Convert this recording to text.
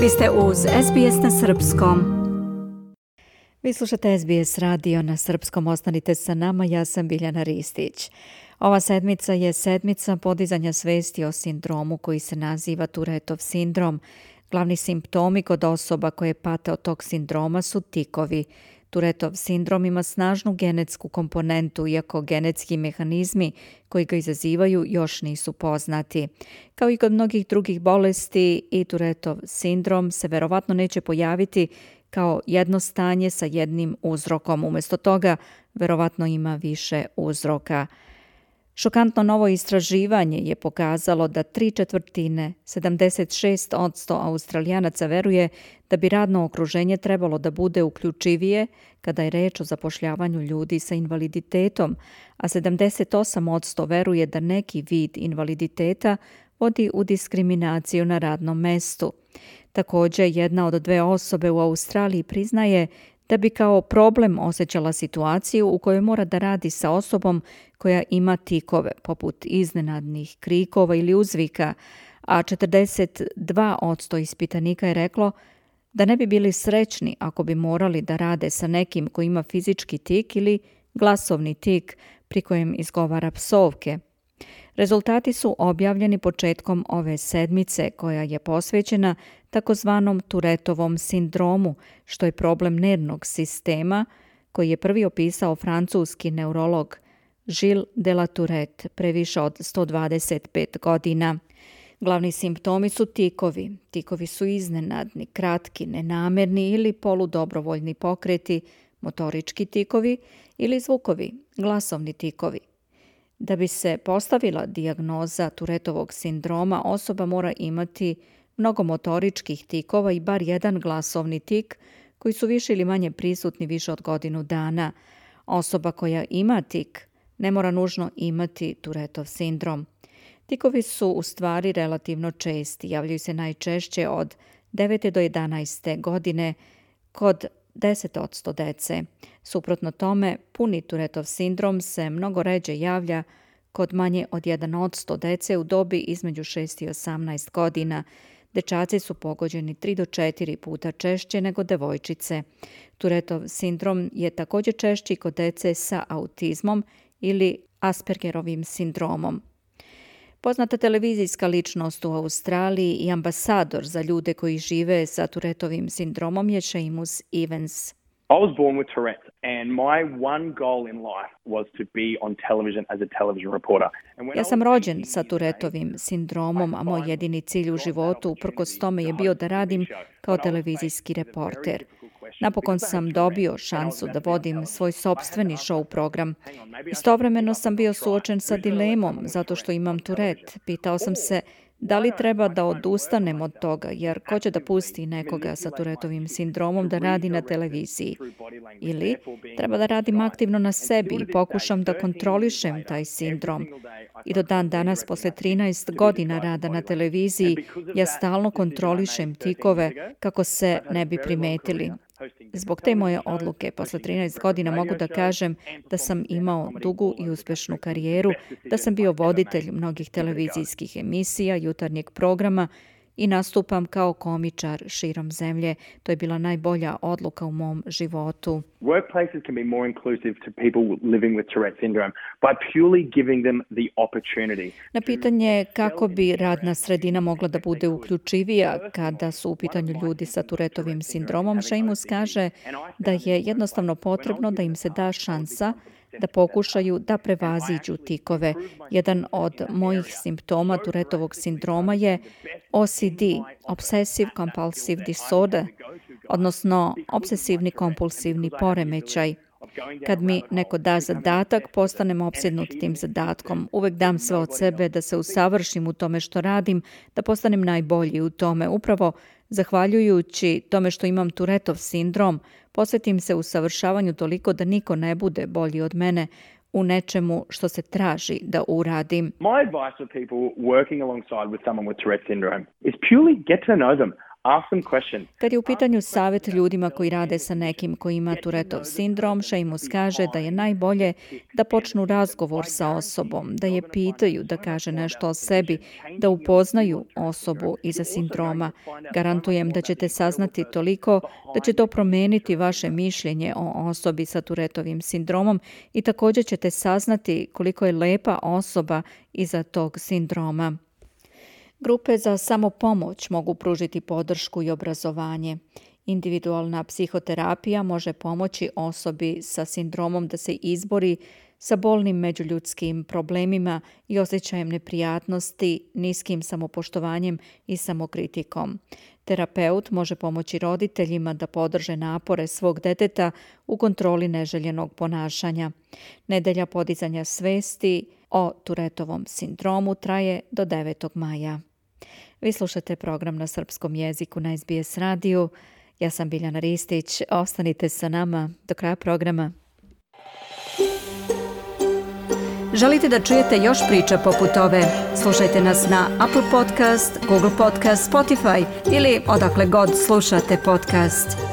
Vi ste uz SBS na srpskom. Vi slušate SBS radio na srpskom. Ostanite sa nama, ja sam Biljana Ristić. Ova sedmica je sedmica podizanja svesti o sindromu koji se naziva Tourettov sindrom. Glavni simptomi kod osoba koje pate od tog sindroma su tikovi. Tourettov sindrom ima snažnu genetsku komponentu, iako genetski mehanizmi koji ga izazivaju još nisu poznati. Kao i kod mnogih drugih bolesti, i Tourettov sindrom se verovatno neće pojaviti kao jedno stanje sa jednim uzrokom. Umjesto toga, verovatno ima više uzroka. Šokantno novo istraživanje je pokazalo da 3/4, 76% Australijanaca veruje da bi radno okruženje trebalo da bude uključivije kada je reč o zapošljavanju ljudi sa invaliditetom, a 78% veruje da neki vid invaliditeta vodi u diskriminaciju na radnom mestu. Također, jedna od 2 osobe u Australiji priznaje da bi kao problem osjećala situaciju u kojoj mora da radi sa osobom koja ima tikove, poput iznenadnih krikova ili uzvika, a 42% ispitanika je reklo da ne bi bili srećni ako bi morali da rade sa nekim koji ima fizički tik ili glasovni tik pri kojem izgovara psovke. Rezultati su objavljeni početkom ove sedmice koja je posvećena takozvanom Tourettovom sindromu, što je problem nervnog sistema koji je prvi opisao francuski neurolog Gilles de la Tourette pre više od 125 godina. Glavni simptomi su tikovi. Tikovi su iznenadni, kratki, nenamerni ili poludobrovoljni pokreti, motorički tikovi ili zvukovi, glasovni tikovi. Da bi se postavila dijagnoza Tourettovog sindroma, osoba mora imati mnogo motoričkih tikova i bar jedan glasovni tik koji su više ili manje prisutni više od godinu dana. Osoba koja ima tik ne mora nužno imati Tourettov sindrom. Tikovi su u stvari relativno česti, javljaju se najčešće od 9. do 11. godine kod 10% dece. Suprotno tome, puni Tourettov sindrom se mnogo ređe javlja kod manje od 1% dece u dobi između 6 i 18 godina. Dečaci su pogođeni 3 do 4 puta češće nego devojčice. Tourettov sindrom je također češći kod dece sa autizmom ili Aspergerovim sindromom. Poznata televizijska ličnost u Australiji i ambasador za ljude koji žive sa Tourettovim sindromom je Seamus Evans. I was born with Tourette's and my one goal in life was to be on television as a television reporter. Ja sam rođen sa Tourettovim sindromom, a moj jedini cilj u životu uprkos tome je bio da radim kao televizijski reporter. Napokon sam dobio šansu da vodim svoj sopstveni show program. Istovremeno sam bio suočen sa dilemom zato što imam Tourette. Pitao sam se da li treba da odustanem od toga, jer ko će da pusti nekoga sa Tourettovim sindromom da radi na televiziji? Ili treba da radim aktivno na sebi i pokušam da kontrolišem taj sindrom. I do dan danas, posle 13 godina rada na televiziji, ja stalno kontrolišem tikove kako se ne bi primetili. Zbog te moje odluke, posle 13 godina mogu da kažem da sam imao dugu i uspešnu karijeru, da sam bio voditelj mnogih televizijskih emisija, jutarnjeg programa i nastupam kao komičar širom zemlje. To je bila najbolja odluka u mom životu. Workplaces can be more inclusive to people living with Tourette syndrome by purely giving them the opportunity. Na pitanje kako bi radna sredina mogla da bude uključivija kada su u pitanju ljudi sa Tourettovim sindromom, Seamus kaže da je jednostavno potrebno da im se da šansa da pokušaju da prevaziđu tikove. Jedan od mojih simptoma Tourettovog sindroma je OCD, Obsessive Compulsive Disorder, odnosno obsesivni kompulsivni poremećaj. Kad mi neko da zadatak, postanem opsednut tim zadatkom. Uvek dam sve od sebe da se usavršim u tome što radim, da postanem najbolji u tome. Upravo zahvaljujući tome što imam Tourettov sindrom, posvetim se usavršavanju toliko da niko ne bude bolji od mene u nečemu što se traži da uradim. My advice for people working alongside with someone with Tourette syndrome is purely get to know them. Ask them questions. Kad je u pitanju savjet ljudima koji rade sa nekim koji ima Tourettov sindrom, Seamus kaže da je najbolje da počnu razgovor sa osobom, da je pitaju, da kaže nešto o sebi, da upoznaju osobu iza sindroma. Garantujem da ćete saznati toliko da će to promijeniti vaše mišljenje o osobi sa Tourettovim sindromom i također ćete saznati koliko je lepa osoba iza tog sindroma. Grupe za samopomoć mogu pružiti podršku i obrazovanje. Individualna psihoterapija može pomoći osobi sa sindromom da se izbori sa bolnim međuljudskim problemima i osjećajem neprijatnosti, niskim samopoštovanjem i samokritikom. Terapeut može pomoći roditeljima da podrže napore svog deteta u kontroli neželjenog ponašanja. Nedelja podizanja svesti o Tourettovom sindromu traje do 9. maja. Vi slušate program na srpskom jeziku na SBS radiju. Ja sam Biljana Ristić. Ostanite sa nama do kraja programa. Želite da čujete još priča poput ove? Slušajte nas na Apple Podcast, Google Podcast, Spotify ili odakle god slušate podcast.